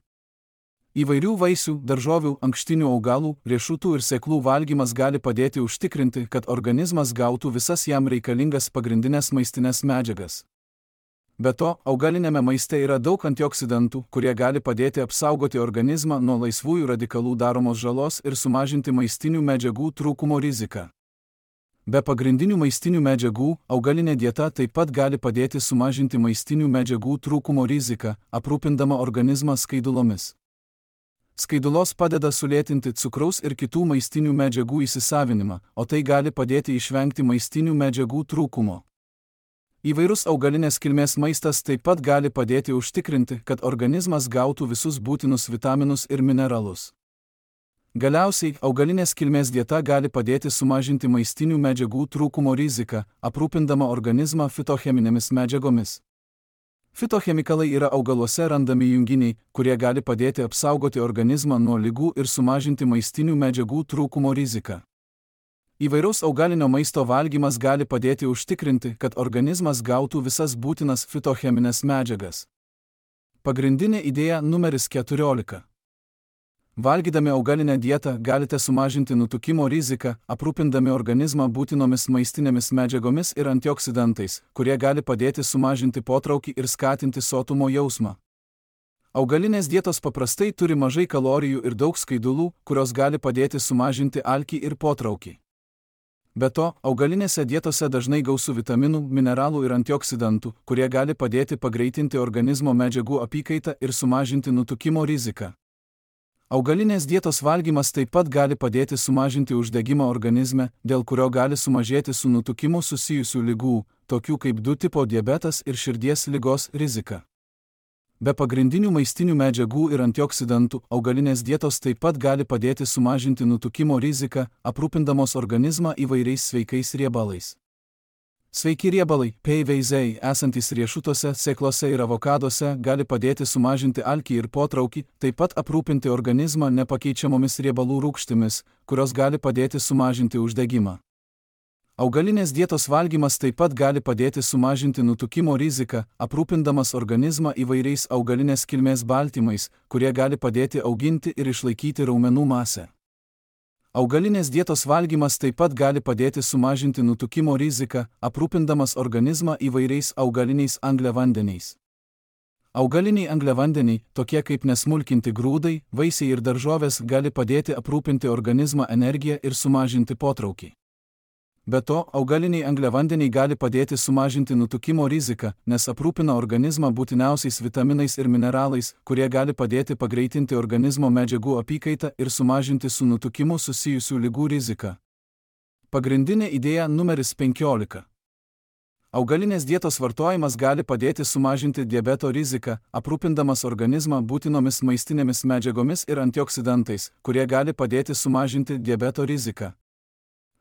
Speaker 1: Įvairių vaisių, daržovių, ankštinių augalų, riešutų ir sėklų valgymas gali padėti užtikrinti, kad organizmas gautų visas jam reikalingas pagrindinės maistinės medžiagas. Be to, augalinėme maiste yra daug antioksidantų, kurie gali padėti apsaugoti organizmą nuo laisvųjų radikalų daromos žalos ir sumažinti maistinių medžiagų trūkumo riziką. Be pagrindinių maistinių medžiagų, augalinė dieta taip pat gali padėti sumažinti maistinių medžiagų trūkumo riziką, aprūpindama organizmą skaidulomis. Skaidulos padeda sulėtinti cukraus ir kitų maistinių medžiagų įsisavinimą, o tai gali padėti išvengti maistinių medžiagų trūkumo. Įvairus augalinės kilmės maistas taip pat gali padėti užtikrinti, kad organizmas gautų visus būtinus vitaminus ir mineralus. Galiausiai, augalinės kilmės dieta gali padėti sumažinti maistinių medžiagų trūkumo riziką, aprūpindama organizmą fitocheminėmis medžiagomis. Fitochemikalai yra augaluose randami junginiai, kurie gali padėti apsaugoti organizmą nuo ligų ir sumažinti maistinių medžiagų trūkumo riziką. Įvairaus augalinio maisto valgymas gali padėti užtikrinti, kad organizmas gautų visas būtinas fitocheminės medžiagas. Pagrindinė idėja numeris keturiolika. Valgydami augalinę dietą galite sumažinti nutukimo riziką, aprūpindami organizmą būtinomis maistinėmis medžiagomis ir antioksidantais, kurie gali padėti sumažinti potraukį ir skatinti sotumo jausmą. Augalinės dietos paprastai turi mažai kalorijų ir daug skaidulų, kurios gali padėti sumažinti alkį ir potraukį. Be to, augalinėse dietose dažnai gausu vitaminų, mineralų ir antioksidantų, kurie gali padėti pagreitinti organizmo medžiagų apykaitą ir sumažinti nutukimo riziką. Augalinės dietos valgymas taip pat gali padėti sumažinti uždegimą organizme, dėl kurio gali sumažėti su nutukimu susijusių ligų, tokių kaip du tipo diabetas ir širdies ligos rizika. Be pagrindinių maistinių medžiagų ir antioksidantų, augalinės dietos taip pat gali padėti sumažinti nutukimo riziką, aprūpindamos organizmą įvairiais sveikais riebalais. Sveiki riebalai, peiveizei, esantys riešutuose, sėklose ir avokaduose, gali padėti sumažinti alkį ir potraukį, taip pat aprūpinti organizmą nepakeičiamomis riebalų rūgštimis, kurios gali padėti sumažinti uždegimą. Augalinės dietos valgymas taip pat gali padėti sumažinti nutukimo riziką, aprūpindamas organizmą įvairiais augalinės kilmės baltymais, kurie gali padėti auginti ir išlaikyti raumenų masę. Augalinės dietos valgymas taip pat gali padėti sumažinti nutukimo riziką, aprūpindamas organizmą įvairiais augaliniais angliavandeniais. Augaliniai angliavandeniai, tokie kaip nesmulkinti grūdai, vaisiai ir daržovės, gali padėti aprūpinti organizmą energiją ir sumažinti potraukį. Be to, augaliniai angliavandeniai gali padėti sumažinti nutukimo riziką, nes aprūpina organizmą būtiniausiais vitaminais ir mineralais, kurie gali padėti pagreitinti organizmo medžiagų apykaitą ir sumažinti su nutukimu susijusių ligų riziką. Pagrindinė idėja numeris penkiolika. Augalinės dietos vartojimas gali padėti sumažinti diabeto riziką, aprūpindamas organizmą būtinomis maistinėmis medžiagomis ir antioksidantais, kurie gali padėti sumažinti diabeto riziką.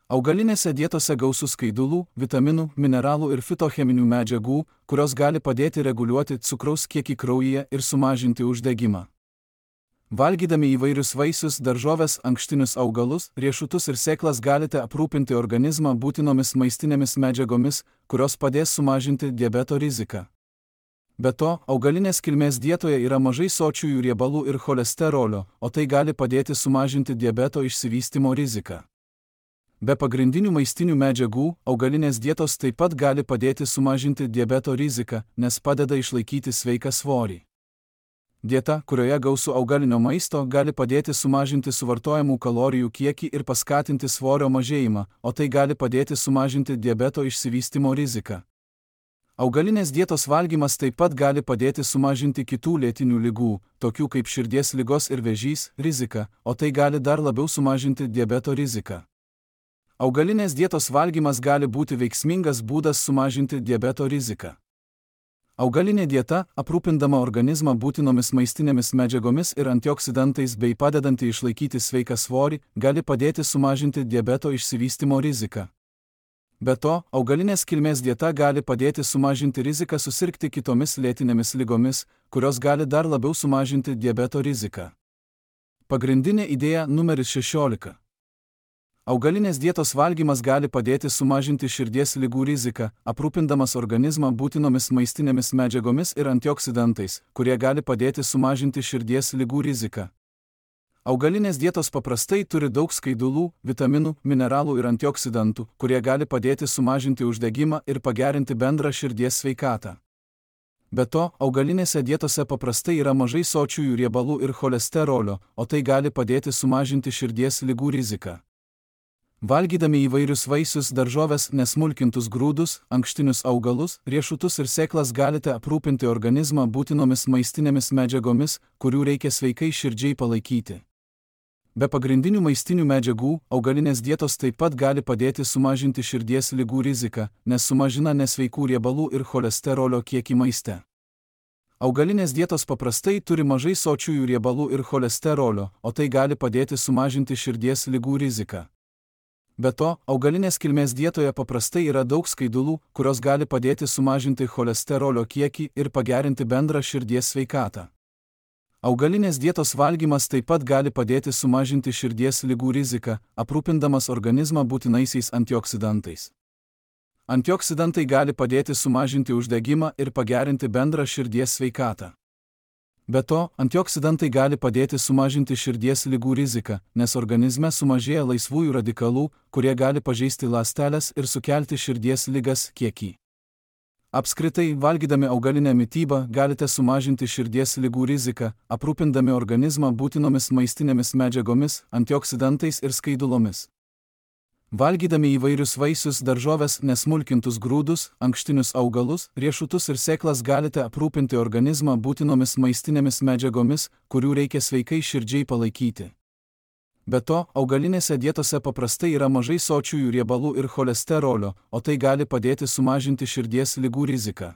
Speaker 1: Augalinėse dietose gausu skaidulų, vitaminų, mineralų ir fitocheminių medžiagų, kurios gali padėti reguliuoti cukraus kiekį kraujyje ir sumažinti uždegimą. Valgydami įvairius vaisius, daržoves, ankštinius augalus, riešutus ir sėklas galite aprūpinti organizmą būtinomis maistinėmis medžiagomis, kurios padės sumažinti diabeto riziką. Be to, augalinės kilmės dietoje yra mažai sočiųjų riebalų ir cholesterolio, o tai gali padėti sumažinti diabeto išsivystymo riziką. Be pagrindinių maistinių medžiagų, augalinės dietos taip pat gali padėti sumažinti diabeto riziką, nes padeda išlaikyti sveiką svorį. Dieta, kurioje gausu augalinio maisto, gali padėti sumažinti suvartojamų kalorijų kiekį ir paskatinti svorio mažėjimą, o tai gali padėti sumažinti diabeto išsivystymo riziką. Augalinės dietos valgymas taip pat gali padėti sumažinti kitų lėtinių ligų, tokių kaip širdies ligos ir vėžys, riziką, o tai gali dar labiau sumažinti diabeto riziką. Augalinės dietos valgymas gali būti veiksmingas būdas sumažinti diabeto riziką. Augalinė dieta, aprūpindama organizmą būtinomis maistinėmis medžiagomis ir antioksidantais bei padedanti išlaikyti sveiką svorį, gali padėti sumažinti diabeto išsivystymo riziką. Be to, augalinės kilmės dieta gali padėti sumažinti riziką susirgti kitomis lėtinėmis ligomis, kurios gali dar labiau sumažinti diabeto riziką. Pagrindinė idėja numeris šešiolika. Augalinės dietos valgymas gali padėti sumažinti širdies ligų riziką, aprūpindamas organizmą būtinomis maistinėmis medžiagomis ir antioksidantais, kurie gali padėti sumažinti širdies ligų riziką. Augalinės dietos paprastai turi daug skaidulų, vitaminų, mineralų ir antioksidantų, kurie gali padėti sumažinti uždegimą ir pagerinti bendrą širdies sveikatą. Be to, augalinėse dietose paprastai yra mažai sočiųjų riebalų ir cholesterolio, o tai gali padėti sumažinti širdies ligų riziką. Valgydami įvairius vaisius, daržoves, nesmulkintus grūdus, ankštinius augalus, riešutus ir sėklas galite aprūpinti organizmą būtinomis maistinėmis medžiagomis, kurių reikia sveikai širdžiai palaikyti. Be pagrindinių maistinių medžiagų, augalinės dietos taip pat gali padėti sumažinti širdies ligų riziką, nes sumažina nesveikų riebalų ir cholesterolio kiekį maiste. Augalinės dietos paprastai turi mažai sočiųjų riebalų ir cholesterolio, o tai gali padėti sumažinti širdies ligų riziką. Be to, augalinės kilmės dietoje paprastai yra daug skaidulų, kurios gali padėti sumažinti cholesterolio kiekį ir pagerinti bendrą širdies sveikatą. Augalinės dietos valgymas taip pat gali padėti sumažinti širdies ligų riziką, aprūpindamas organizmą būtinaisiais antioksidantais. Antioksidantai gali padėti sumažinti uždegimą ir pagerinti bendrą širdies sveikatą. Be to, antioksidantai gali padėti sumažinti širdies ligų riziką, nes organizme sumažėja laisvųjų radikalų, kurie gali pažeisti ląsteles ir sukelti širdies ligas kiekį. Apskritai, valgydami augalinę mitybą galite sumažinti širdies ligų riziką, aprūpindami organizmą būtinomis maistinėmis medžiagomis, antioksidantais ir skaidulomis. Valgydami įvairius vaisius, daržoves, nesmulkintus grūdus, ankštinius augalus, riešutus ir sėklas galite aprūpinti organizmą būtinomis maistinėmis medžiagomis, kurių reikia sveikai širdžiai palaikyti. Be to, augalinėse dietose paprastai yra mažai sočiųjų riebalų ir cholesterolio, o tai gali padėti sumažinti širdies ligų riziką.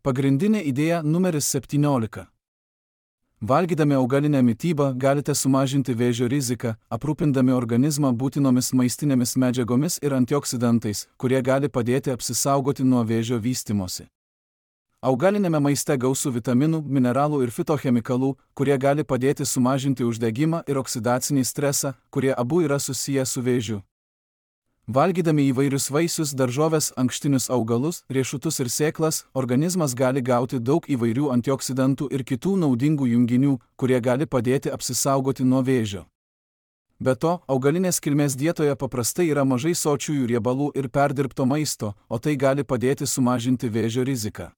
Speaker 1: Pagrindinė idėja numeris septyniolika. Valgydami augalinę mitybą galite sumažinti vėžio riziką, aprūpindami organizmą būtinomis maistinėmis medžiagomis ir antioksidantais, kurie gali padėti apsisaugoti nuo vėžio vystymosi. Augalinėme maiste gausu vitaminų, mineralų ir fitochemikalų, kurie gali padėti sumažinti uždegimą ir oksidacinį stresą, kurie abu yra susiję su vėžiu. Valgydami įvairius vaisius, daržoves, ankštinius augalus, riešutus ir sėklas, organizmas gali gauti daug įvairių antioksidantų ir kitų naudingų junginių, kurie gali padėti apsisaugoti nuo vėžio. Be to, augalinės kilmės dietoje paprastai yra mažai sočiųjų riebalų ir perdirbto maisto, o tai gali padėti sumažinti vėžio riziką.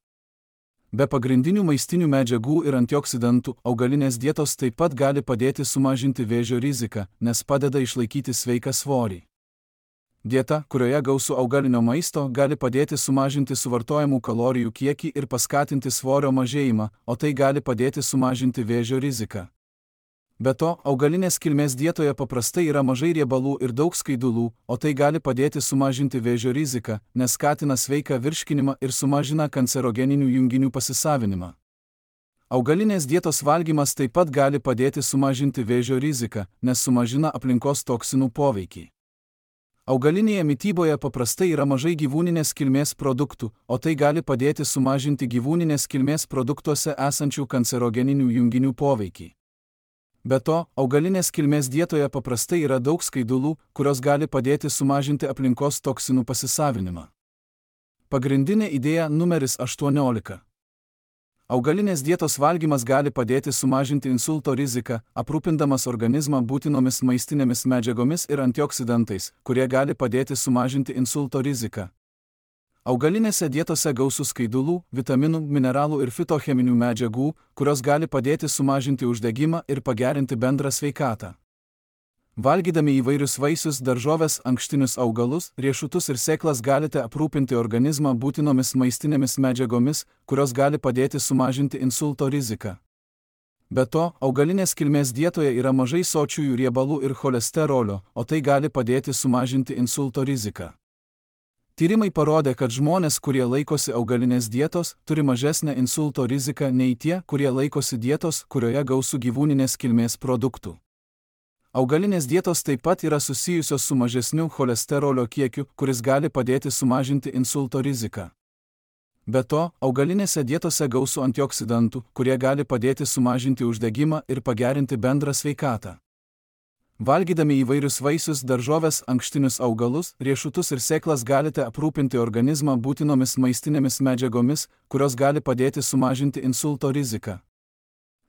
Speaker 1: Be pagrindinių maistinių medžiagų ir antioksidantų, augalinės dietos taip pat gali padėti sumažinti vėžio riziką, nes padeda išlaikyti sveiką svorį. Dieta, kurioje gausu augalinio maisto, gali padėti sumažinti suvartojamų kalorijų kiekį ir paskatinti svorio mažėjimą, o tai gali padėti sumažinti vėžio riziką. Be to, augalinės kilmės dietoje paprastai yra mažai riebalų ir daug skaidulų, o tai gali padėti sumažinti vėžio riziką, nes skatina sveiką virškinimą ir sumažina kancerogeninių junginių pasisavinimą. Augalinės dietos valgymas taip pat gali padėti sumažinti vėžio riziką, nes sumažina aplinkos toksinų poveikį. Augalinėje mityboje paprastai yra mažai gyvūninės kilmės produktų, o tai gali padėti sumažinti gyvūninės kilmės produktuose esančių kancerogeninių junginių poveikį. Be to, augalinės kilmės dietoje paprastai yra daug skaidulų, kurios gali padėti sumažinti aplinkos toksinų pasisavinimą. Pagrindinė idėja numeris aštuoniolika. Augalinės dietos valgymas gali padėti sumažinti insulto riziką, aprūpindamas organizmą būtinomis maistinėmis medžiagomis ir antioksidantais, kurie gali padėti sumažinti insulto riziką. Augalinėse dietose gausu skaidulų, vitaminų, mineralų ir fitocheminių medžiagų, kurios gali padėti sumažinti uždegimą ir pagerinti bendrą sveikatą. Valgydami įvairius vaisius, daržoves, ankštinius augalus, riešutus ir sėklas galite aprūpinti organizmą būtinomis maistinėmis medžiagomis, kurios gali padėti sumažinti insulto riziką. Be to, augalinės kilmės dietoje yra mažai sočiųjų riebalų ir cholesterolio, o tai gali padėti sumažinti insulto riziką. Tyrimai parodė, kad žmonės, kurie laikosi augalinės dietos, turi mažesnę insulto riziką nei tie, kurie laikosi dietos, kurioje gausu gyvūninės kilmės produktų. Augalinės dietos taip pat yra susijusios su mažesniu cholesterolio kiekiu, kuris gali padėti sumažinti insulto riziką. Be to, augalinėse dietose gausu antioksidantų, kurie gali padėti sumažinti uždegimą ir pagerinti bendrą sveikatą. Valgydami įvairius vaisius, daržoves, ankštinius augalus, riešutus ir sėklas galite aprūpinti organizmą būtinomis maistinėmis medžiagomis, kurios gali padėti sumažinti insulto riziką.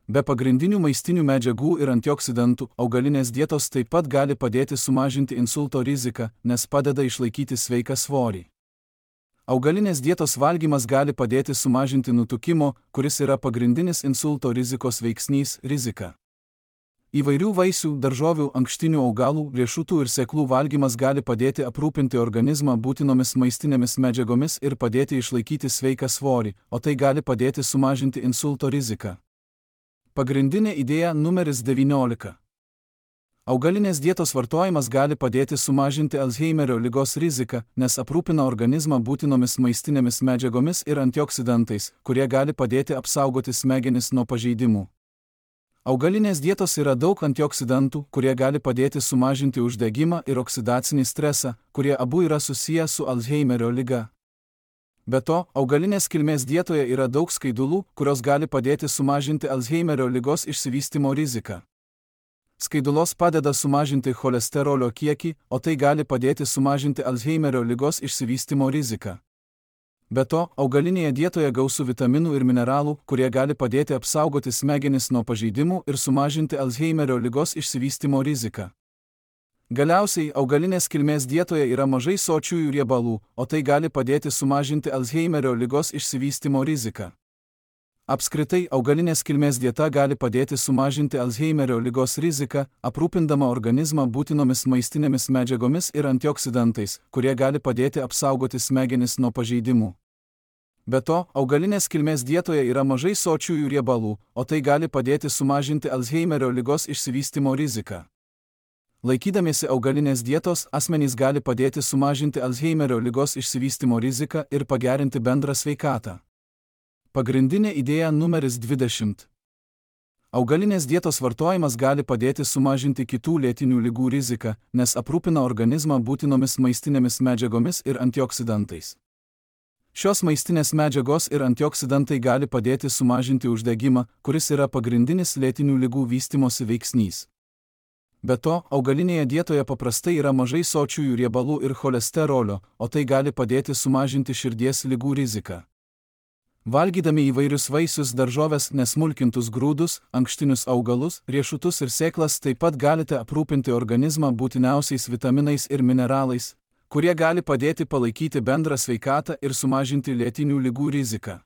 Speaker 1: Be pagrindinių maistinių medžiagų ir antioksidantų, augalinės dietos taip pat gali padėti sumažinti insulto riziką, nes padeda išlaikyti sveiką svorį. Augalinės dietos valgymas gali padėti sumažinti nutukimo, kuris yra pagrindinis insulto rizikos veiksnys, riziką. Įvairių vaisių, daržovių, ankštinių augalų, riešutų ir sėklų valgymas gali padėti aprūpinti organizmą būtinomis maistinėmis medžiagomis ir padėti išlaikyti sveiką svorį, o tai gali padėti sumažinti insulto riziką. Pagrindinė idėja numeris devyniolika. Augalinės dietos vartojimas gali padėti sumažinti Alzheimerio ligos riziką, nes aprūpina organizmą būtinomis maistinėmis medžiagomis ir antioksidantais, kurie gali padėti apsaugoti smegenis nuo pažeidimų. Augalinės dietos yra daug antioksidantų, kurie gali padėti sumažinti uždegimą ir oksidacinį stresą, kurie abu yra susiję su Alzheimerio liga. Be to, augalinės kilmės dietoje yra daug skaidulų, kurios gali padėti sumažinti Alzheimerio ligos išsivystymo riziką. Skaidulos padeda sumažinti cholesterolio kiekį, o tai gali padėti sumažinti Alzheimerio ligos išsivystymo riziką. Be to, augalinėje dietoje gausu vitaminų ir mineralų, kurie gali padėti apsaugoti smegenis nuo pažeidimų ir sumažinti Alzheimerio ligos išsivystymo riziką. Galiausiai, augalinės kilmės dietoje yra mažai sočiųjų riebalų, o tai gali padėti sumažinti Alzheimerio ligos išsivystymo riziką. Apskritai, augalinės kilmės dieta gali padėti sumažinti Alzheimerio ligos riziką, aprūpindama organizmą būtinomis maistinėmis medžiagomis ir antioksidantais, kurie gali padėti apsaugoti smegenis nuo pažeidimų. Be to, augalinės kilmės dietoje yra mažai sočiųjų riebalų, o tai gali padėti sumažinti Alzheimerio ligos išsivystymo riziką. Laikydamiesi augalinės dietos, asmenys gali padėti sumažinti Alzheimerio ligos išsivystymo riziką ir pagerinti bendrą sveikatą. Pagrindinė idėja numeris dvidešimt. Augalinės dietos vartojimas gali padėti sumažinti kitų lėtinių ligų riziką, nes aprūpina organizmą būtinomis maistinėmis medžiagomis ir antioksidantais. Šios maistinės medžiagos ir antioksidantai gali padėti sumažinti uždegimą, kuris yra pagrindinis lėtinių ligų vystymosi veiksnys. Be to, augalinėje dietoje paprastai yra mažai sočiųjų riebalų ir cholesterolio, o tai gali padėti sumažinti širdies ligų riziką. Valgydami įvairius vaisius, daržoves, nesmulkintus grūdus, ankštinius augalus, riešutus ir sėklas taip pat galite aprūpinti organizmą būtiniausiais vitaminais ir mineralais, kurie gali padėti palaikyti bendrą sveikatą ir sumažinti lėtinių ligų riziką.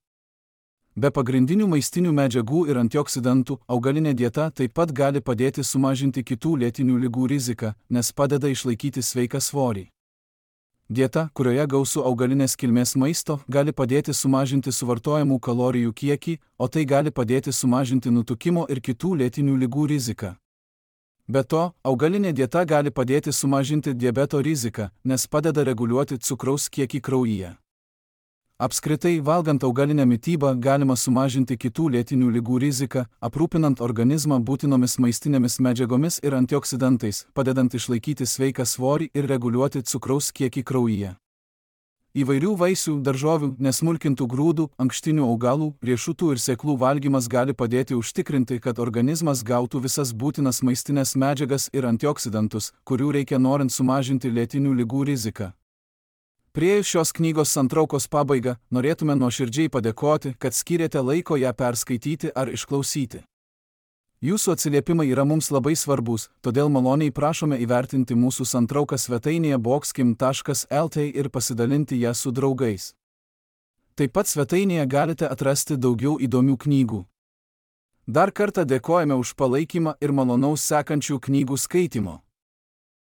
Speaker 1: Be pagrindinių maistinių medžiagų ir antioksidantų, augalinė dieta taip pat gali padėti sumažinti kitų lėtinių ligų riziką, nes padeda išlaikyti sveiką svorį. Dieta, kurioje gausu augalinės kilmės maisto, gali padėti sumažinti suvartojamų kalorijų kiekį, o tai gali padėti sumažinti nutukimo ir kitų lėtinių ligų riziką. Be to, augalinė dieta gali padėti sumažinti diabeto riziką, nes padeda reguliuoti cukraus kiekį kraujyje. Apskritai, valgant augalinę mitybą galima sumažinti kitų lėtinių ligų riziką, aprūpinant organizmą būtinomis maistinėmis medžiagomis ir antioksidantais, padedant išlaikyti sveiką svorį ir reguliuoti cukraus kiekį kraujyje. Įvairių vaisių, daržovių, nesmulkintų grūdų, ankštinių augalų, riešutų ir sėklų valgymas gali padėti užtikrinti, kad organizmas gautų visas būtinas maistinės medžiagas ir antioksidantus, kurių reikia norint sumažinti lėtinių ligų riziką. Priėjus šios knygos santraukos pabaigą, norėtume nuoširdžiai padėkoti, kad skyrėte laiko ją perskaityti ar išklausyti. Jūsų atsiliepimai yra mums labai svarbus, todėl maloniai prašome įvertinti mūsų santrauką svetainėje boxkim taškas el t ir pasidalinti ją su draugais. Taip pat svetainėje galite atrasti daugiau įdomių knygų. Dar kartą dėkojame už palaikymą ir malonaus sekančių knygų skaitimo.